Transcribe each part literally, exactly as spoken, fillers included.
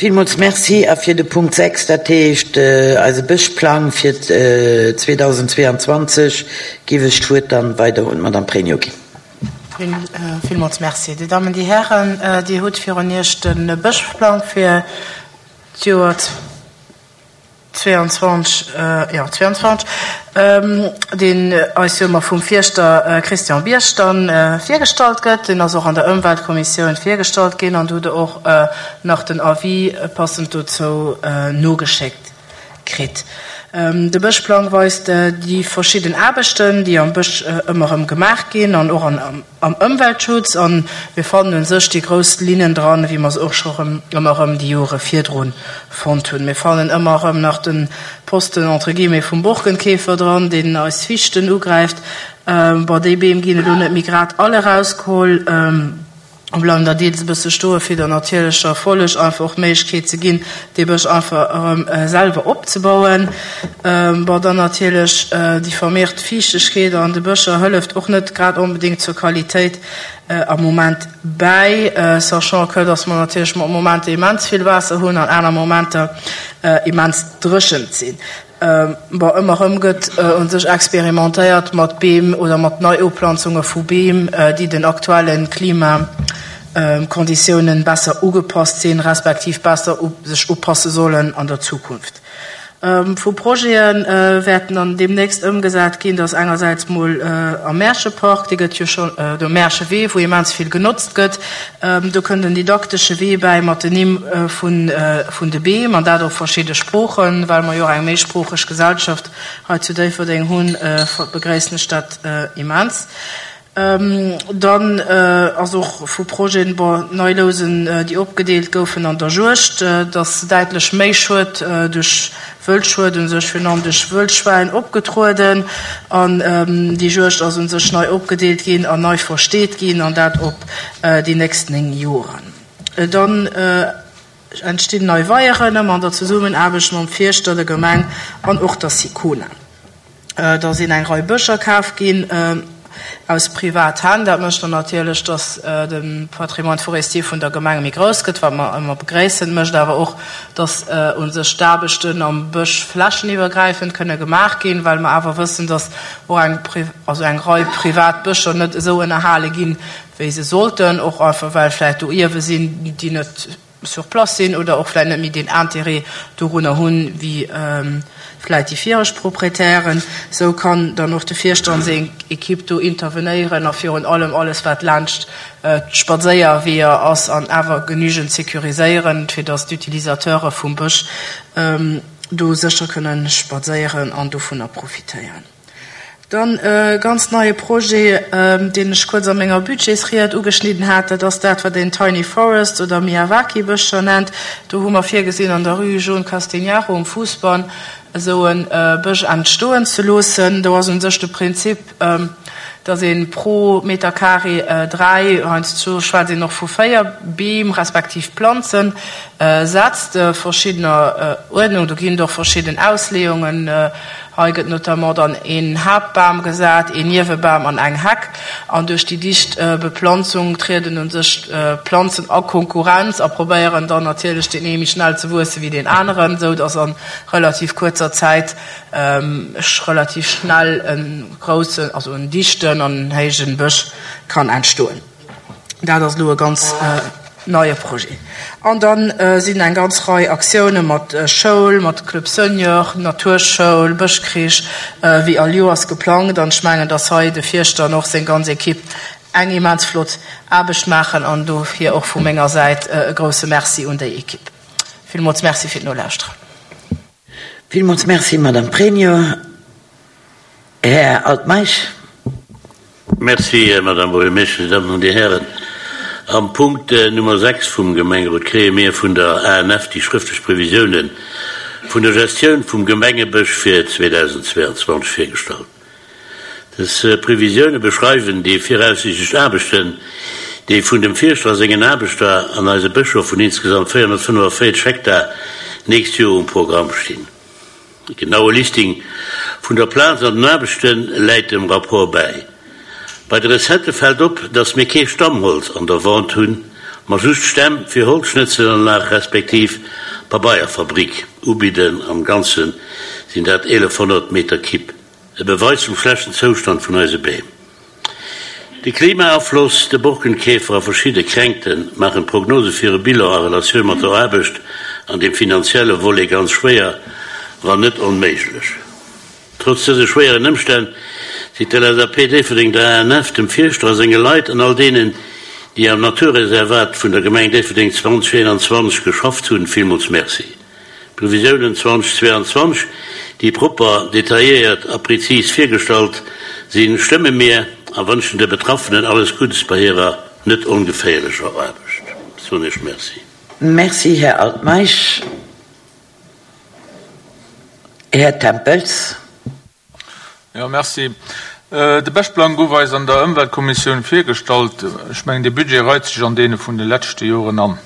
Villmools Merci. A fir de Punkt sechs, dat heescht eise Bëschplang fir zweedausendzweeanzwanzeg, géif ech d'Wuert dann weider un d'Madame Pregno ginn. Villmools Merci. Dir Dammen, Dir Hären, Dir hutt virun Iech de Bëschplang fir d'Joer zwéianzwanzeg, jo, zwéianzwanzeg, deen eis jo ëmmer vum Fierschter Christian Biersch dann virgestallt gëtt. Deen ass och an der Ëmweltkommissioun virgestallt ginn an do hutt Der och nach den Avis passend dozou nogeschéckt kritt. De Bëschplang weist déi verschidden Aarbechten, déi am Bësch ëmmer erëm gemaach ginn an och am Ëmweltschutz. A mir fannen u sech déi grouss Linnen dran, wéi mer se och scho rëm ëmmer erëm déi Jore virdru fonnt hunn. Mir fannen ëmmer erëm nach de Posten entre guillemets vum Borkenkäfer dran, deen eis Fichten ugräift. Bon, déi Beem ginn elo net méi grad all erausgeholl. Bleiwen der deels e bësse stoe fir der natierlecher Folleg einfach och d'Méiglechkeet ze ginn, dee Bësch einfach erëm selwer opzebauen. Bon, dann natierlech déi vermeert Fiichtegkeet an de Bëscher hëlleft och net grad onbedéngt zur Qualitéit am Moment bäi, sachant que dass mer natierlech mat Momenter immens vill Waasser hunn an aner Momenter immens dréchent sinn. Bon, ëmmer erëm gëtt u sech experimentéiert mat Beem oder mat Neiuplanzunge vu Beem, déi den aktuelle Klimakonditiounen besser ugepasst sinn, respektiv besser sech upasse sollen an der Zukunft. Vu Projete wäerten dann deemnächst ëmgesat ginn, dass engersäits mol am Märchepark, dee gëtt jo scho, de Märchewee, wou immens vill genotzt gëtt, do kënnt en didaktesche Wee bäi mat den Nimm vun vun de Beem, an dat op verschidde Sproochen, well mer jo och eng méisproocheg Gesellschaft hei zu Déifferdeng hunn, begréissen ech dat immens. Dann ass och vu Projeten, bon, nei Lousen, déi opgedeelt goufen an der Juegd, dass däitlech méi Schued duerch Wëldschued, u sech virun allem duerch Wëldschwäin, opgetrueden. An déi Juegd ass u sech nei opgedeelt ginn an nei versteet ginn, an dat op déi nächst néng Joren. Dann entstinn nei Weieren, ëmmer an der Zesummenaarbecht mam Fierschter, der Gemeng an och der Sicona. Da sinn eng Rei Bëscher kaf ginn aus Privathänn. Dat mécht dann natierlech, dass de Patrimoine forestier vun der Gemeng méi grouss gëtt, wat mer ëmmer begréissen. Mécht awer och, dass u sech d'Aarbechten am Bësch flächeniwwergräifend kënne gemaach ginn, well mer awer wëssen, dass och eng, also eng Rei privat Bëscher net esou ënnerhale ginn, wéi se sollten, och einfach well vläicht do Ierwe sinn, déi net sur place sinn oder och vläicht net méi deen Intérêt dorunner hunn, wéi vläicht déi viregt Proprietären. Esou kann dann och de Fierschter an seng Equipe do intervenéieren a virun allem alles, wat laanscht d'Spadséierweeër ass, an awer genügend sécuriséieren, fir dass d'Utilisateure vum Bësch do sécher kënnen spadséieren an dovunner profitéieren. Dann e ganz neie Projet, deen ech kuerz a menger Budgetsried ugeschnidden hat, dat ass dat, wat een Tiny Forest oder Miyawaki-Bëscher nennt. Do hu mer virgesinn, an der Rue Jaune Castegnaro um Fousbann esou e Bësch entstoen ze loossen. Do ass u sech de Prinzip, dass ee pro Meter carré dräi, heiansdo schwätzt een och vu véier Beem respektiv Planzen setzt, verschiddener Uerdnung. Do ginn et och verschidden Ausleeungen. Hei gëtt notamment dann een Haaptbam gesat, een Niewebam an eng Heck. An duerch déi dicht Beplanzung trieden u sech d'Planzen a Konkurrenz a probéieren dann natierlech deen ee méi schnell ze wuesse wéi deen aneren, esou dass a relativ kuerzer Zäit relativ schnell e groussen, also en dichten an en héijen Bësch kann entstoen. Dat ass elo e ganz neie Projet. An da sinn eng ganz Rei Aktioune mat Schoul, mat Club Senior, Naturschoul, Bëschkrich, wéi all Joers geplangt. An ech mengen, dass hei de Fierschter an och seng ganz Ekipp eng immens flott Aarbecht maachen. An dofir och vu menger Säit e grousse Merci un déi Ekipp. Villmools Merci fir d'Nolauschteren. Villmools Merci, Madame Pregno. Här Altmeisch. Merci, Madame Buergermeeschtesch, Dir Dammen an Dir Hären. Am Punkt Nummer sechs vum Gemengerot kréie mir vun der A N F déi schrëftlech Previsiounen vun der Gestioun vum Gemengebësch fir zweedausendzweeanzwanzeg virgestallt. Dës Previsioune beschreiwen déi viraussiichtlech Aarbechten, déi vun dem Fierschter a sengen Aarbechter an eise Bëscher vun insgesamt véierhonnertfënnefavéierzeg Hektar nächst Joer um Programm stinn. E genaue Listing vun der Plaz an den Aarbechte läit dem Rapport bäi. Bei de Recettë fält op, datt mir kee Stammholz an der Vente hunn, ma just Stämm fir Holzschnëtzelanlag respektiv Pabeierfabrik ubidden. Am Ganze sinn dat eelefhonnert Meter Kibb. E Beweis vum schlechten Zoustand vun eise Beem. De Klimaafloss, de Borkenkäfer a verschidde Kränkte maachen d'Prognose fir e Bilan a Relatioun mat der Aarbecht an dem finanzielle Volet ganz schwéier, wann net onméiglech. Trotz dëse schwéieren Ëmstänn seet d'LSAP Déifferdeng der ANF, dem Fierschter a senge Leit an all deenen, déi am Naturreservat vun der Gemeng Déifferdeng zweitausendeenanzwanzeg geschafft hunn, villmools Merci. D'Previsiounen zweitausendzweiundzwanzeg, déi propper, detailléiert a prezis virgestallt sinn, stëmme mir a wënschen de Betraffenen alles Guddes bei hirer net ongeféierlecher Aarbecht. Soen ech Merci. Merci, Här Altmeisch. Här Tempels. Jo, merci. De Bëschplang gouf eis an der Ëmweltkommissioun virgestallt. Ech mengen, dee Budget reit sech an deene vun de leschte Joren an.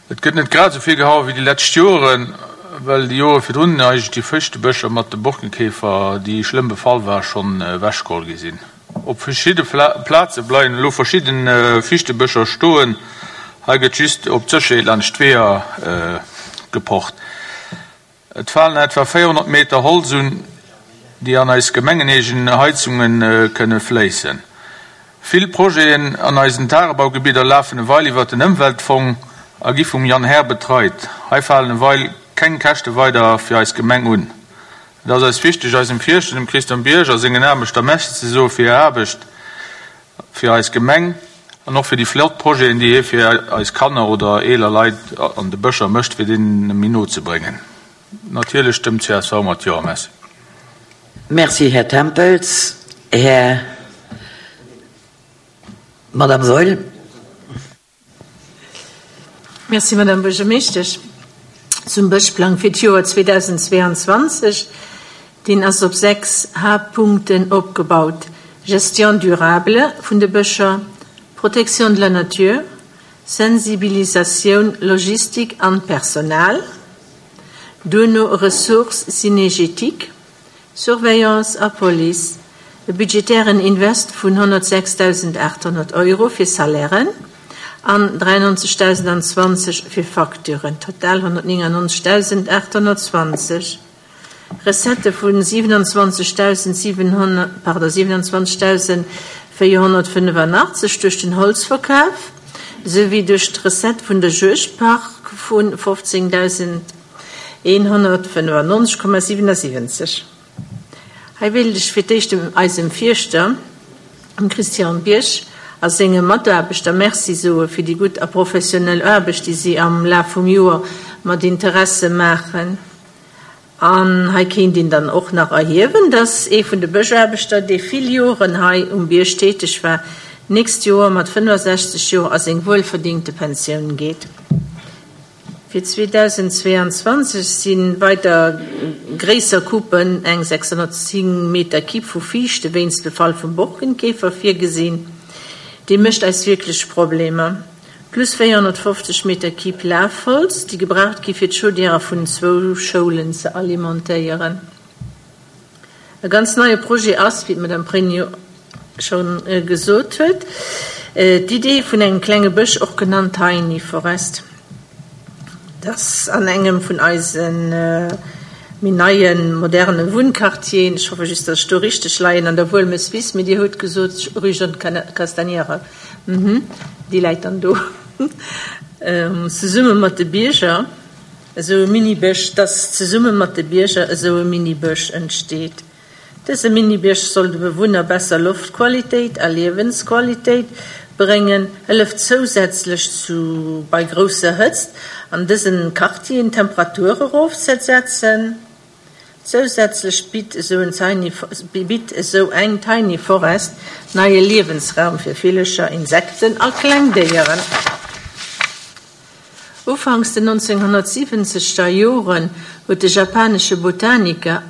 Et gëtt net grad esou vill gehaue wéi déi lescht Joren, well déi Jore virdrun eigentlech déi Fëchtebëscher mat de Borkenkäfer, déi schlëmm befall war, schonn ewechgeholl gi sinn. Op verschidde Plaze bleiwen elo verschidde Fichtebëscher stoen. Hei gëtt just op d'Sécherheet laanscht d'Weeër gepocht. Et falen etwa véierhonnert Meter Holz un, déi an eis gemengeneegen Heizunge kënne fléissen. Vill Projeten an eisen Tagebaugebidder lafen ewell iwwer den Ëmweltfong a gi vum Jan Herr betreit. Hei falen ewell keng Käschte weider fir eis Gemeng un. Et ass eis wichteg, eisem Fierschter, dem Christian Bierg, a sengen Aarbechter Merci ze soe fir hir Aarbecht fir eis Gemeng an och fir déi flott Projeten, déi hie fir eis Kanner oder eeler Leit an de Bëscher mécht, fir deenen méi no ze bréngen. Natierlech stëmmt d'CSV mat Jo. Merci. Merci, Här Tempels. Här, Madame Saeul. Merci, Madame Buergermeeschtesch. Zum Bëschplang fir d'Joer zweitausendzweiundzwanzeg, deen ass op sechs Haaptpunkten opgebaut: Gestion durable vun de Bëscher, Protection de la nature, Sensibilisatioun, Logistik an Personal, duerno Ressources synergétiques, Surveillance a Police, e budgetären Invest vun honnertsechstausendachthonnert Euro fir Salairen an dräiundneunzegdausendzwanzeg fir Facturen, total honnertneunundneunzegdausendachthonnertzwanzeg. Recette vun siewenundzwanzegtausendsiewenhonnert, pardon, siewenundzwanzegtausendvéierhonnertfënnefundachtzeg duerch den Holzverkaf souwéi duerch d'Recette vun der Juegdpark vun fofzéngdausendeenhonnertfënnefundneunzeg Komma siewenundsiwwenzeg. Hei wéilt ech fir d'éischt dem eisem Fierschter, dem Christian Bierg, a senge Mataarbechter Merci soe fir déi gutt a professionell Aarbecht, déi si am Laf vum Joer mat Interesse maachen. An hei kéint een dann och nach erhiewen, dass ee vun de Bëschaarbechter, dee vill Joren hei um Bierg täteg war, nächst Joer mat fënnefundasechzeg Joer a seng wuelverdingte Pensioun geet. Fir zweitausendzweiundzwanzeg si weider gréisser Coupen, eng sechshonnertzéng Meter Kipp vu Fiichte wéinst Befall vum Borkenkäfer virgesinn. Dee mécht eis wierklech Problemer. Plus véierhonnertfofzeg Meter Kipp Lafholz, déi gebraucht gi fir d'Chaudièrë vun zwou Schoulen ze alimentéieren. E ganz neie Projet ass, wéi d'Madame Pregno scho gesot huet, d'Idee vun engem klenge Bësch, och genannt Tiny Forest. Dass an engem vun eise méi neien, moderne Wunnquartieren, ech hoffe just, dass ech do richteg leien, an der Wuelmeswiss, mee Dir hutt gesot, Rue Jeanne Castagnière, déi läit dann do, zesumme mat de Bierger esou e Minibësch, dass zesumme mat de Bierger esou e Minibësch entsteet. Dëse Minibësch soll de Bewunner besser Loftqualitéit a Liewensqualitéit bréngen, hëlleft zousätzlech zu bei grousser Hëtzt an dësen Quartieren Temperature erofzesetzen. Zousätzlech bitt esou en Tiny, bitt esou eng Tiny Forest neie Liewensraum fir Villecher, Insekten a kleng Déieren. Ufanks den neunzehnhundertsiwwenzeger Joren huet de japanesche Botaniker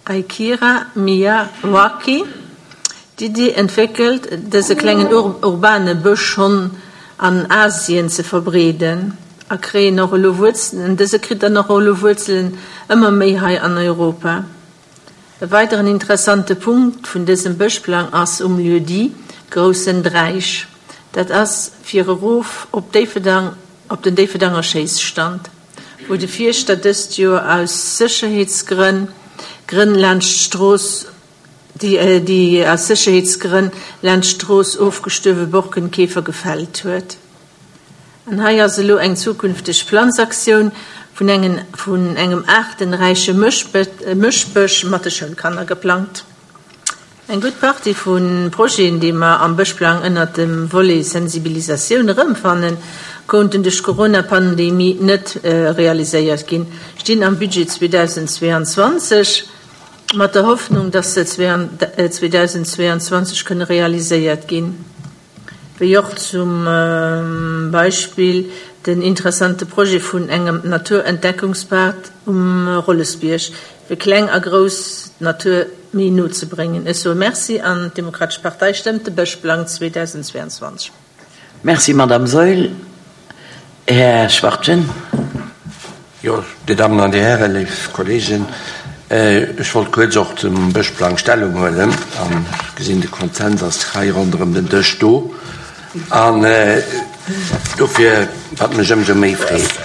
Akira Miyawaki d'Idee entwéckelt, dëse klengen urbane Bësch schonn an Asien ze verbreeden a kréien och elo Wuerzelen, dëse kritt dann och elo Wuerzelen ëmmer méi hei an Europa. E weideren interessante Punkt vun dësem Bëschplang ass um Lieu-dit Groussen Dräich. Dat ass fir erof op Déifferdang, op den Déifferdanger Schéisstand, wou de Fierschter dëst Joer aus Sécherheetsgrënn Grënn laanscht d'Strooss, déi, déi aus Sécherheetsgrënn laanscht d'Strooss ofgestuerwe Borkenkäfer gefällt huet. An hei ass elo eng zukünfteg Planzaktioun vun engen, vun engem aartenräiche Mëschbësch mat de Schoulkanner geplangt. Eng gutt Partie vu Projeten, déi mer am Bëschplang ënnert dem Volet Sensibilisatioun erëmfannen, konnten duerch d'Corona-Pandemie net realiséiert ginn, stinn am Budget zweedausendzweeanzwanzeg, mat der Hoffnung, dass se zweedausendzweeanzwanzeg kënne realiséiert ginn, wéi och zum Beispill den interessante Projet vun engem Naturentdeckungspad um Rollesbierg, fir Kleng a Grouss d'Natur méi no ze bréngen. Ech soe Merci an d'Demokratesch Partei stëmmt de Bëschplang zweedausendzweeanzwanzeg. Merci, Madame Saeul. Här Schwachtgen. Jo, Dir Dammen an Dir Hären, léif Kolleegen, ech wollt kuerz och zum Bëschplang Stellung huelen an ech gesinn, de Konsens ass hei ronderëm den Dësch do an dofir, wat mech ëmsou méi freet.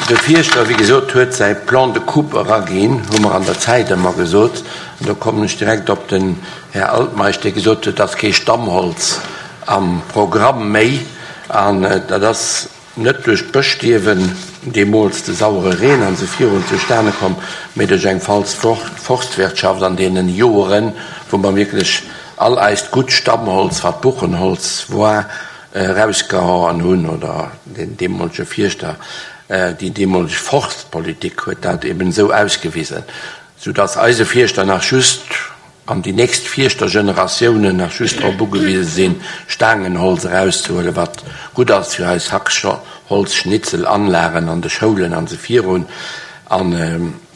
De Fierschter, wéi gesot, huet säi Plan de coupe eraginn, hu mer an der Zäit ëmmer gesot, an do kommen ech direkt op den Här Altmeisch, dee gesot huet, et ass kee Stammholz am Programm méi, an dat ass net duerch d'Bëschstierwen, deemools de sauere Reen an esou virun, zustane komm, mee duerch eng falsch Forstwirtschaft an deenen Joeren, wou mer wierklech all eist gutt Stammholz, wat Buchenholz war, erausgehauen hunn, oder den deemolege Fierschter, déi deemoleg Forstpolitik huet dat eben esou ausgewisen, soudass eise Fierschter nach just, an déi nächst Fierschtergeneratiounen nach just drop ugewise sinn, Staangenholz erauszehuelen, wat gutt ass fir eis Hackholzschnitzelanlagen an de Schoulen an esou virun, a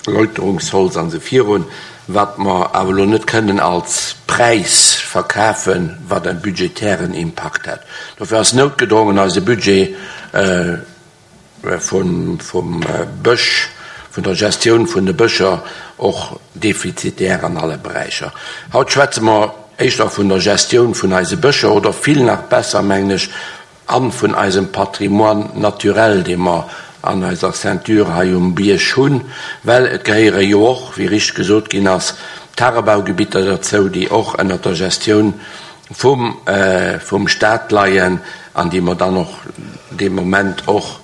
Läuterungsholz an esou virun, wat mer awer elo net kënnen als Präis verkafen, wat e budgetären Impakt hätt. Dofir ass noutgedrongen eise Budget vum Bësch, vun der Gestioun vun de Bëscher och defizitär an alle Beräicher. Haut schwätze mer éischter vun der Gestioun vun eise Bëscher oder vill nach besser, mengen ech, a vun eisem Patrimoine naturel, dee mer an eiser Ceinture hei um Bierg hunn, well et gehéiere jo och, wéi richteg gesot ginn ass, Tagebaugebitter derzou, déi och ënnert der Gestioun vum vum Stat leien an déi mer dann och dee Moment och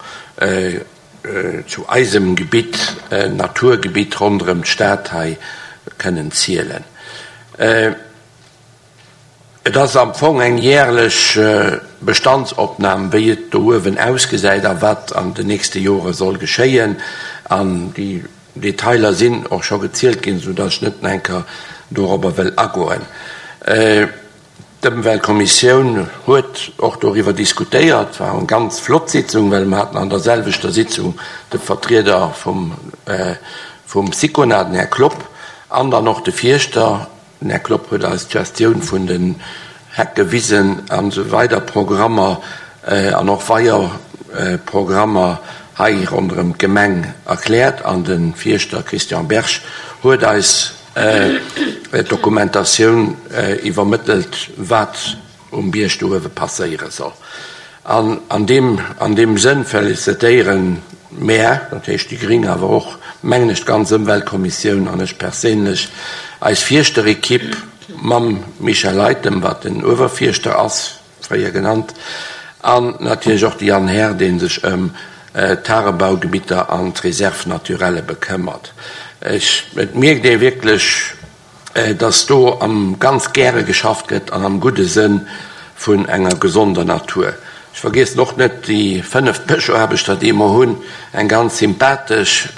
zu eisem Gebitt, Naturgebitt ronderëm d'Stad hei kënnen zielen. Et ass am Fong eng järlech Bestandsopnam, wéi et do uewen ausgesäit a wat an den nächste Jore soll geschéien. An déi Detailer sinn och scho gezielt ginn, soudatt ech net nach eng Kéier dorobber wëll agoen. D'Ëmweltkommissioun huet och doriwwer diskutéiert. War eng ganz flott Sitzung, well mer haten an der selwechter Sitzung de Vertrieder vum vum Sicona, den Här Klopp, an dann och de Fierschter. Den Här Klopp huet eis d'Gestioun vun den Hecke, Wisen an esou weider Programmer an och Weierprogrammer hei ronderëm d'Gemeng erkläert an de Fierschter Christian Berg huet eis d'Dokumentatioun iwwermëttelt, wat um Bierg do uewe passéiere soll. An an deem, an deem Sënn felicitéiere mär, dat heescht déi gréng, awer och, mengen ech, d'ganz Ëmweltkommissioun an ech perséinlech, eis Fierschterekipp mam Michel Leytem, wat den Uewerfierschter ass, fréier genannt, an natierlech och de Jan Herr, dee sech ëm d'Tagebaugebitter an d'Réserve naturelle bekëmmert. Ech, et mierkt ee wierklech, dass do am ganz gäre geschafft gëtt an am gudde Sënn vun enger gesonder Natur. Ech vergiessen och net déi fënnef Bëschaarbechter, déi mer hunn, eng ganz sympathesch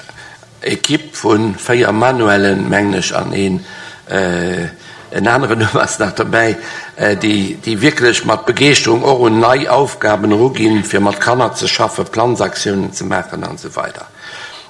Ekipp vu véier Manuellen, mengen ech, an een en aneren Numm ass nach dobäi, déi, déi wierklech mat Begeeschterung och un nei Aufgaben eruginn, fir mat Kanner ze schaffen, Planzaktiounen ze maachen an esou weider.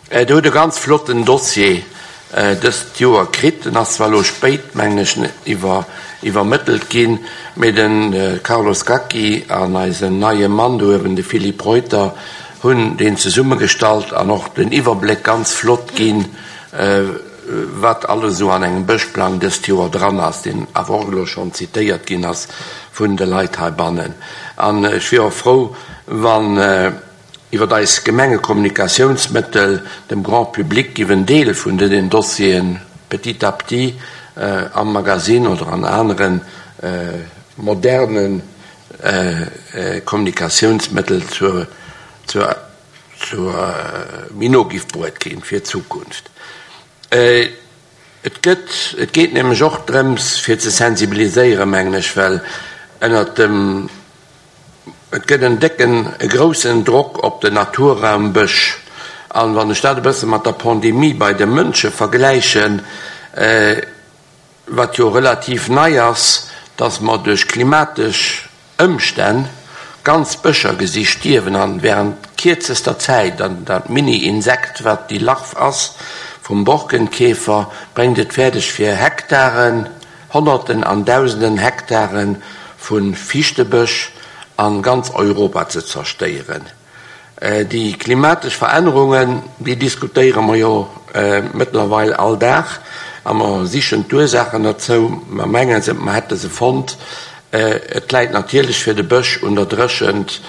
Der hutt e ganz flotten Dossier dëst Joer kritt. En ass zwar elo spéit, mengen ech, iwwer, iwwermëttelt ginn, mee de Carlos Gacchi an eisen neie Mann do uewen, de Philippe Reuter, hunn deen zesummegestallt an och den Iwwerbléck ganz flott ginn, wat alles esou an engem Bëschplang dëst Joer dran ass, deen awer och elo schonn zitéiert ginn ass vun de Leit heibannen. An ech wier och frou, wann iwwer eis Gemengekommunikatiounsmëttel dem Grand public giff en Deel vun den Dossieren petit à petit am Magazine oder an anere moderne Kommunikatiounsmëttel zur zur méi no giff bruet ginn fir d'Zukunft. Et gëtt, et geet nämlech och drëms fir ze sensibiliséieren, mengen ech, well ënnert dem, et gëtt en décken, e groussen Drock op den Naturraum Bësch. An wann ech dat e bësse mat der Pandemie bei de Mënsche vergläichen, wat jo relativ nei ass, dass mer duerch klimatesch Ëmstänn ganz Bëscher gesi stierwen an während kierzester Zäit, an dat Mini-Insekt, wat déi Larv ass vum Borkenkäfer, bréngt et fäerdeg fir Hektaren, Honnerten an Dausenden Hektare vu Fiichtebësch a ganz Europa ze zerstéieren. Déi klimatesch Verännerungen, déi diskutéiere mer jo mëttlerweil all Dag a mer sichen d'Ursaachen derzou. Mer menge se, mer hätte se fonnt. Et läit natierlech fir de Bësch un der Dréchent,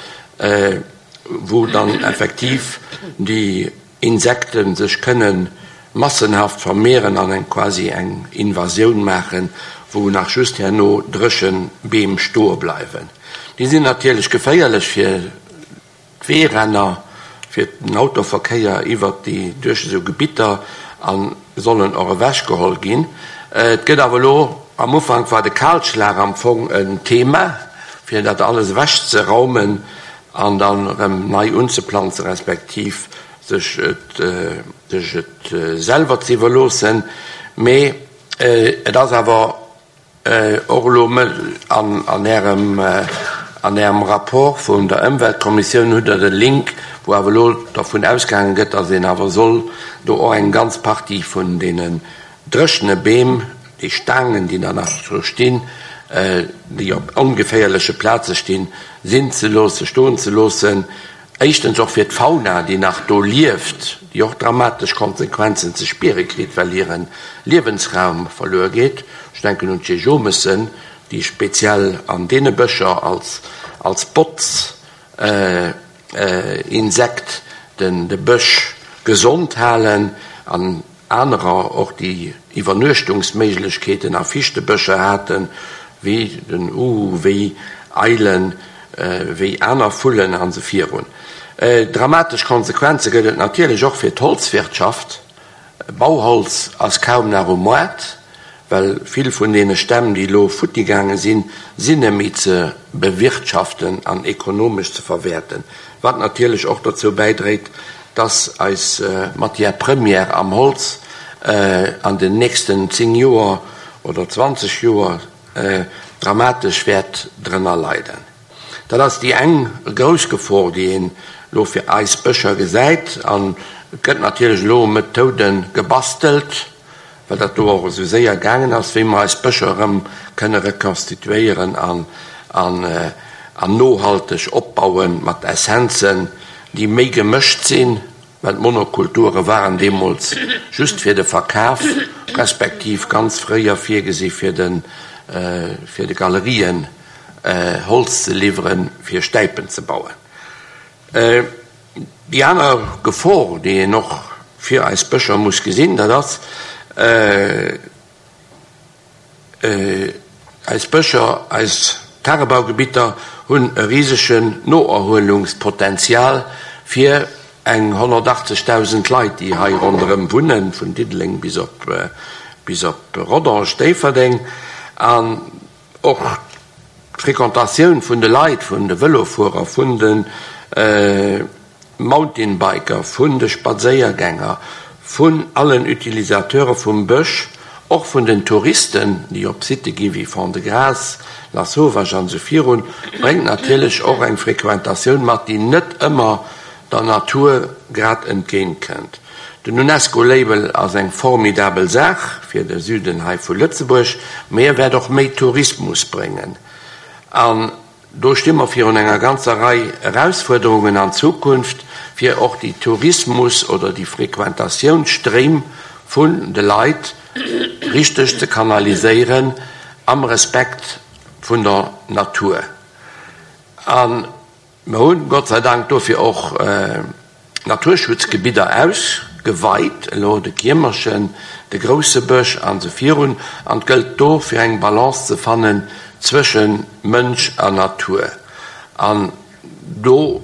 wou dann effektiv déi Insekte sech kënne massenhaft vermehren an eng quasi eng Invasioun maachen, wou nach just herno dréche Beem stoe bleiwen. Déi sinn natierlech geféierlech fir d'Weeränner, fir den Autoverkéier iwwert déi, duerch esou Gebitter a sollen och ewechgeholl ginn. Et gëtt awer elo, am Ufank war de Kalschlag am Fong en Thema, fir dat alles ewechzeraumen an dann erëm nei unzeplanzen, respektiv sech et sech et selwer ze iwwerloossen. Mee et ass awer och elo an an Ärem an Ärem Rapport vun der Ëmweltkommissioun hutt Der de Link, wou awer elo dervun ausgaange gëtt, datt een awer soll do och eng ganz Partie vun deenen dréchene Beem, déi Staangen, déi da nach do stinn, déi op ongeféierleche Plaze stinn, sinn ze loossen, stoen ze loossen. Éischtens och fir d'Fauna, déi nach do lieft, déi och dramatesch Konsequenzen ze spiere kritt, well hire Liewensraum verluer geet. Ech denken un d'Jejomessen, déi speziell an deene Bëscher als, als Botz-Insekt den, de Bësch gesond halen an anerer och, déi Iwwernuechtungsméiglechkeeten a Fichtebëscher haten, wéi den Uhu, wéi Eilen, wéi aner Vullen an esou virun. Dramatesch Konsequenze gëtt et natierlech och fir d'Holzwirtschaft. Bauholz ass kaum nach um Moart, well vill vun deene Stämm, déi elo futti gaange sinn, sinn net méi ze bewirtschaften an ekonomesch ze verwäerten, wat natierlech och dozou bäidréit, dass eis Matière première am Holz an den nächsten zéng Joer oder zwanzeg Joer dramatesch wäert drënner leiden. Dat ass déi eng grouss Gefor, déi een elo fir eis Bëscher gesäit. An et gëtt natierlech elo Methoude gebastelt, well dat do och esou séier gaangen ass, wéi mer eis Bëscher erëm kënne rekonstituéieren an an nohalteg opbaue mat Essenzen, déi méi gemëscht sinn, well d'Monokulture waren deemools just fir de Verkaf, respektiv ganz fréier virgesi fir de fir de Galerien Holz ze liwweren, fir Stäipen ze bauen. Déi aner Gefor, déi een och fir eis Bëscher muss gesinn, dat ass, eis Bëscher, eis Tagebaugebitter hunn e risegen Noerhuelungspotenzial fir eng honnertachtzegdausend Leit, déi hei ronderëm wunnen, vun Diddeleng bis op bis op Rodange, Déifferdeng. An och d'Fréquentatioun vun de Leit, vun de Vëlofuerer, vun de Mountainbiker, vun de Spadséiergänger, vun allen Utilisateure vum Bësch, och vun den Touristen, déi op Sitte gi wéi Fond-de-Gras, Lasauvage an esou virun, bréngt natierlech och eng Frequentatioun mat, déi net ëmmer der Natur grad entgéint kënnt. Den Unesco-Label ass eng formidabel Saach fir de Süden hei vu Lëtzebuerg, mee e wäert och méi Tourismus bréngen. An do sti mer virun enger ganzer Rei Erausfuerderungen an Zukunft, fir och déi Tourismus oder déi Frequentatiounsstréim vun de Leit richteg ze kanaliséieren am Respekt vun der Natur. A mer hunn Gott sei Dank dofir och Naturschutzgebidder ausgeweit, elo de Kiermerchen, de grousse Bësch an esou virun, an et gëllt do fir eng Balance ze fannen zwësche Mënsch a Natur. An do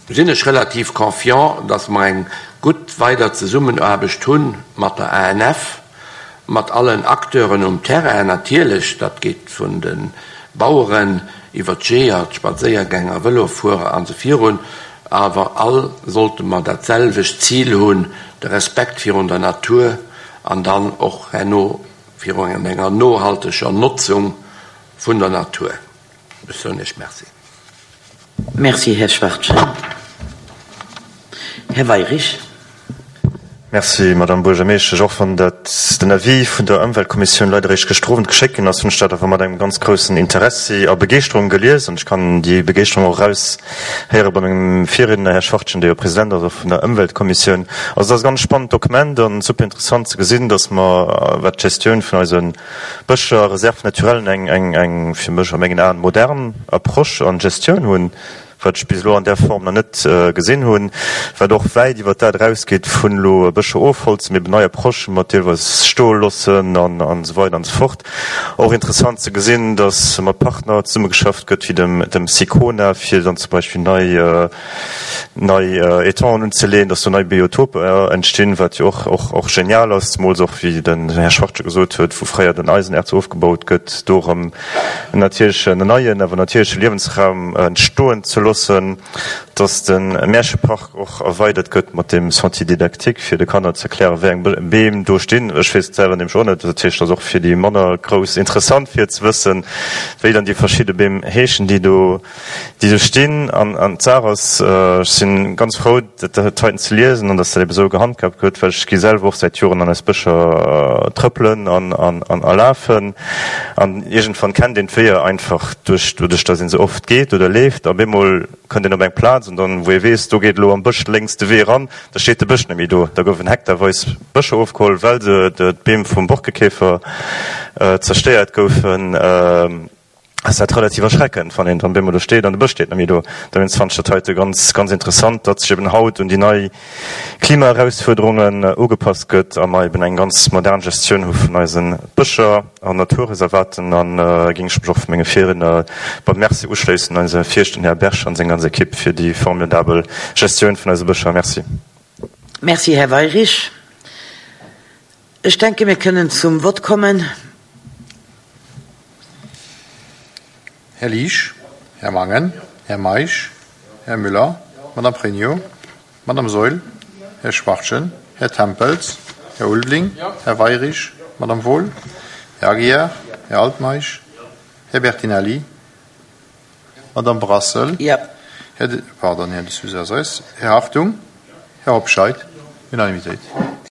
sinn ech relativ confiant, dass mer eng gutt weider Zesummenaarbecht hu mat der A N F, mat allen Acteuren um Terrain natierlech, dat geet vun de Baueren iwwer d'Jeeër, d'Spadséiergänger, Vëlofuerer an esou virun, awer all sollte mer dat selwecht Zil hunn, de Respekt virun der Natur an dann och herno virun enger nohalteger Notzung vun der Natur. Ech soen Iech Merci. Merci, Här Schwachtgen. Här Weirich. Merci, Madame Buergermeeschtesch. Och wann dat den Avis vun der Ëmweltkommissioun leider eréischt gëschter Owend geschéckt ginn ass, hunn ech dat awer mat engem ganz groussen Interessi a Begeeschterung gelies. An ech kann déi Begeeschterung och eraushéiere bei mengem Virriedner, Här Schwachtgen, dee jo President ass och vun der Ëmweltkommissioun. Also dat ass e ganz spannend Dokument an super interessant ze gesinn, dass mer, wat d'Gestioun vun eise Bëscher, Réserves naturellen, eng, eng, eng fir mech a mengen Aen modern Approche an Gestioun hunn, wat ech bis elo an där Form nach net gesinn hunn, wat och wäit iwwer dat erausgeet vun elo Bëscher ofholzen, mee eben nei Approchen mat deelweis Stoellossen an an esou weider an esou fort. Och interessant ze gesinn, dass mat Partner zesummegeschafft gëtt wéi dem dem Sicona, fir dann zum Beispill nei nei Étangen unzeleeën, dass do nei Biotoper entstinn, wat jo och och och genial ass, zemools och wéi den Här Schwachtgen gesot huet, wou fréier den Eisenerz ofgebaut gëtt, do erëm en natierlechen, en neien, awer natierleche Liewensraum entstoen ze loossen, dass de Märchepark och erweidert gëtt mat deem Sentier didactique, fir de Kanner ze erklären, wéi eng Beem do stinn. Ech weess et selwer nämlech och net. Dat heescht, et ass och fir déi manner Grouss interessant, fir ze wëssen, wéi dann déi verschidde Beem heeschen, déi do, déi do stinn. An, an d'Saach ass, ech si ganz frou, dat heiten ze liesen an dass dat ebe sou gehandhaabt gëtt, well ech gi selwer och säit Joren an eis Bëscher trëppelen an, an, an a lafen. An iergendwann kennt een d'Weeër einfach duerch, doduerch, dass ee se oft geet oder leeft. A bemol kënnt een op eng Plaz an dann, wou ee weess, do geet elo am Bësch lénks de Wee eran, da steet de Bësch net méi do. Da goufen hektarweis Bëscher ofgeholl, well se d'Beem vum Borkekäfer zerstéiert goufen. Ass dat relativ erschreckend, wann een dann bemol do steet an de Bësch steet net méi do. Dowéinst fannen ech dat heite ganz, ganz interessant, datt sech eben haut un déi nei Klimaerausfuerderungen ugepasst gëtt a mer eben eng ganz modern Gestioun hu vun eise Bëscher an Naturreservaten. An géing ech mech och vu menge Virriedner beim Merci uschléissen, eise Virschten Här Berg an seng ganz Ekipp fir déi formidabel Gestioun vun eise Bëscher. Merci. Merci, Här Weirich. Ech denke mir kënnen zum Vott kommen. Här Liesch, Här Mangen, Här Meisch, Här Müller, Madame Pregno, Madame Saeul, Här Schwachtgen, Här Tempels, Här Ulveling, Här Weirich, Madame Wohl, Här Aguiar, Här Altmeisch, Här Bertinelli, Madame Brassel, Här de, pardon, Här de Sousa Här Hartung, Här Hobscheit. Unanimitéit.